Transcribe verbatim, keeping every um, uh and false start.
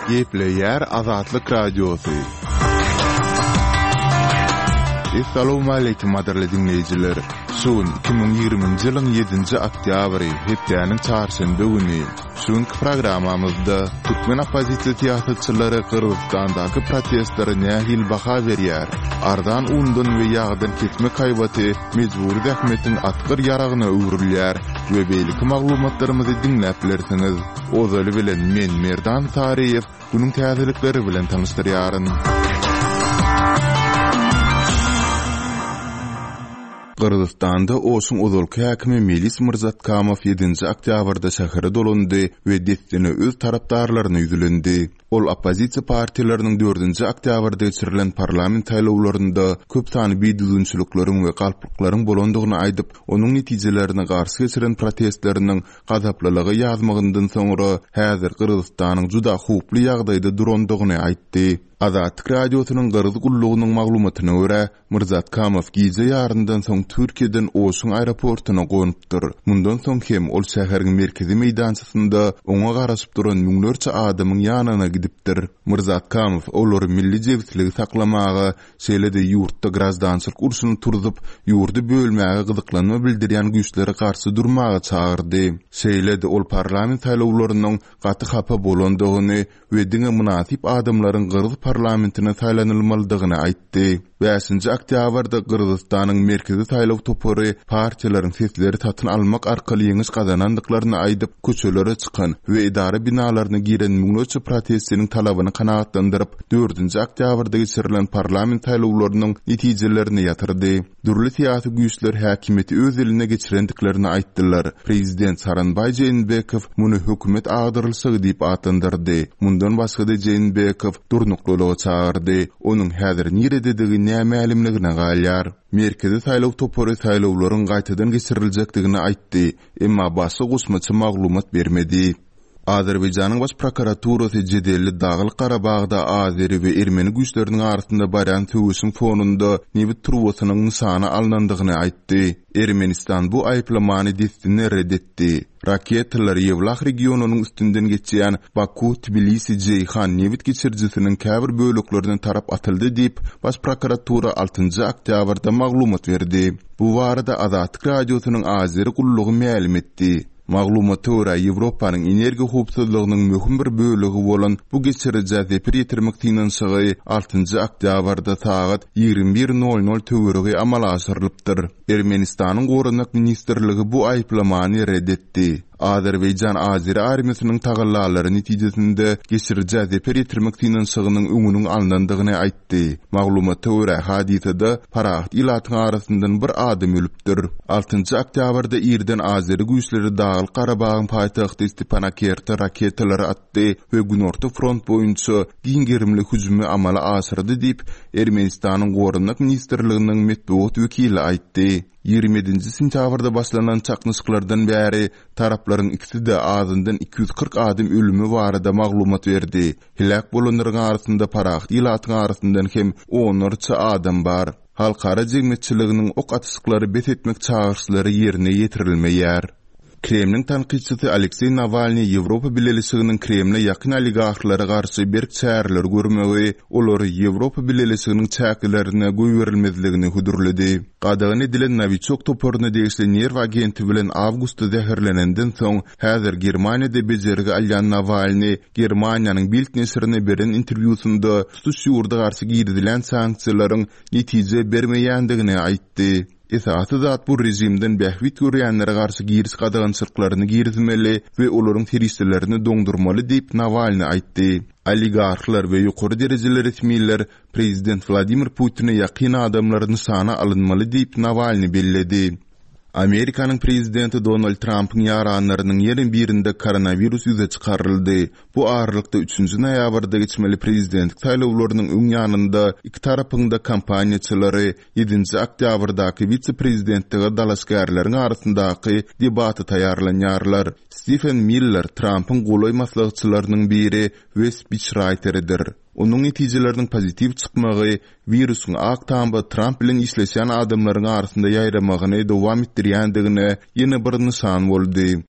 Gepleýär Azatlyk Radiosy. Essalawmaleýkim gadyrly diňleýjiler! Şu gün iki müň ýigriminji ýylyň ýedinji oktýabry, hepdäniň çarşenbe güni. Şu günki programmamyzda türkmen oppozisiýa syýasatçylary Gyrgyzystandaky protestlere nähili baha berýär? Arzan undan we ýagdan kesmek haýbaty mejbury zähmetiň atgyr ýaragyna öwrülýär we beýleki maglumatlarymyzy diňläp bilersiňiz. Ozaly bilen men Merdan Saryýew günüň täzelikleri bilen tanyşdyrýaryn. Gyrgyzystanda Oşuň ozalky häkimi Melis Myrzatkamow ýedinji oktýabrda şähere dolandy we dessine öz tarapdarlaryna ýüzlendi. Ol oppozisiýa partiýalarynyň dördünji oktýabrda geçirilen parlament saýlawlarynda köp sanly bidüzgünçilikleriň we galplyklaryň bolandygyny aýdyp, onuň netijelerine garşy geçiren protestleriniň gazaplylyga ýazmagyndan soňra häzir Gyrgyzystanyň juda howply ýagdaýda durandygyny aýtdy. Azatlyk Radiosynyň Gyrgyz gullugynyň maglumatyna görä, Myrzatkamow gije ýaryndan soň Türkiýeden Oşuň aeroportuna gonupdyr. Mundan soň hem ol şäheriň merkezi meýdançasynda oňa garaşyp duran müňlerçe adamyň ýanyna gidipdir. Myrzatkamow olary milli jebisligi saklamaga, şeýle-de ýurtda graždançylyk urşuny turzup, ýurdy bölmäge gyzyklanma bildirýän güýçlere garşy durmaga çagyrdy. Şeýle-de ol parlament saýlawlarynyň gaty hapa bolandygyny we diňe mynasyp adamlaryň gyrgyz parlamentine saýlanylmalydygyny aýtdy. Bäşinji oktýabrda Gyrgyzystanyň Merkezi saýlaw topary partiýalaryň sesleri satyn almak arkaly ýeňiş gazanandyklaryny aýdyp, köçelere çykan we edara binalaryna giren müňlerçe protestçiniň talabyny kanagatlandyryp, dördünji oktýabrda geçirilen parlament saýlawlarynyň netijelerini ýatyrdy. Dürli syýasy güýçler häkimiýeti öz eline geçirendiklerini aýtdylar. Prezident Sooronbaý Jeenbekow muny hökümet agdarylyşygy diýip atlandyrdy. Mundan başga-da Jeenbekow durnuklylyga çagyrdy. Onuň häzir nirededigi nämälimligine galýar. Merkezi saýlaw topary saýlawlaryň gaýtadan geçiriljekdigini aýtdy, emma başga goşmaça maglumat bermedi. Azerbaýjanyň Baş prokuraturasy jedelli Daglyk-Garabagda azeri we ermeni güýçleriniň arasynda barýan söweşiň fonunda nebit turbasynyň nyşana alnandygyny aýtdy. Ermenistan bu aýyplamany dessine red etdi. Raketalar Ýewlah regionynyň üstünden geçýän Baku-Tbilisi-Jeýhan nebit geçirijisiniň käbir böleklerine tarap atyldy diýip, Baş prokuratura altynjy oktýabrda maglumat berdi. Bu barada Azatlyk Radiosynyň Azeri gullugy mälim etdi. Maglumata görä, Ýewropanyň energiýa howpsuzlygynyň möhüm bir bölegi bolan bu geçirijä zeper ýetirmek synanyşygy altynjy oktýabrda sagat ýigrimi bir nol nol töweregi amala aşyrylypdyr. Ermenistanyň Goranmak ministrligi bu aýyplamany red etdi. Azerbaýjan azeri armiýasynyň tagallalary netijesinde geçirijä zeper ýetirmek synanyşygynyň öňüniň alnandygyny aýtdy. Maglumata görä, hadysada parahat ilatyň arasyndan bir adam ölüpdir. Altynjy oktýabrda irden azeri güýçleri Daglyk-Garabagyň paýtagty Stepanakerta raketalary atdy we Günorta front boýunça giň gerimli hüjümi amala aşyrdy diýip, Ermenistanyň Goranmak ministrliginiň metbugat wekili aýtdy. Ýigrimi ýedinji sentýabrda başlanan çaknyşyklardan bäri taraplaryň ikisi-de azyndan iki ýüz kyrk adam ölümi barada maglumat berdi. Heläk bolanlaryň arasynda parahat ilatyň arasyndan hem onlarça adam bar. Halkara jemgyýetçiliginiň ok atyşyklary bes etmek çagyryşlary ýerine ýetirilmeýär. Kremliň tankytçysy Alekseý Nawalnyý Ýewropa Bileleşiginiň Kremle ýakyn oligarhlara garşy berk çäreleri görmegi, olary Ýewropa Bileleşiginiň çäklerine goýberilmezligini hödürledi. Gadagan edilen Nowiçok toparyna degişli nerw agenti bilen awgustda zäherlenenden soň, häzir Germaniýada bejergi alýan Nawalnyý Germaniýanyň Bild neşirine beren interwýusynda tutuş ýurda garşy girizilen sanksiýalaryň netije bermeýändigini aýtdy. Esasy zat bu režimden bähbit görýänlere garşy giriş gadagançylyklaryny girizmeli we olaryň serişdelerini doňdurmaly diýip, Nawalnyý aýtdy. Oligarhlar we ýokary derejeli resmiler prezident Wladimir Putine ýakyn adamlar nyşana alynmaly diýip, Nawalnyý belledi. Amerikanyň prezidenti Donald Trampyň ýaranlarynyň ýene birinde koronawirus ýüze çykaryldy. Bu aralykda üçünji noýabrda geçmeli prezidentlik saýlawlarynyň öň ýanynda iki tarapyň-da kampaniýaçylary ýedinji oktýabrdaky wise-prezidentlige dalaşgärleriň arasyndaky debata taýýarlanýarlar. Stifen Miller Trampyň golaý maslahatçylarynyň biri we spiçraýteridir. Onuň netijeleriniň pozitiw çykmagy wirusyň Ak Tamda Tramp bilen işleşýän adamlaryň arasynda ýaýramagyny dowam etdirýändigine ýene bir nyşan boldy.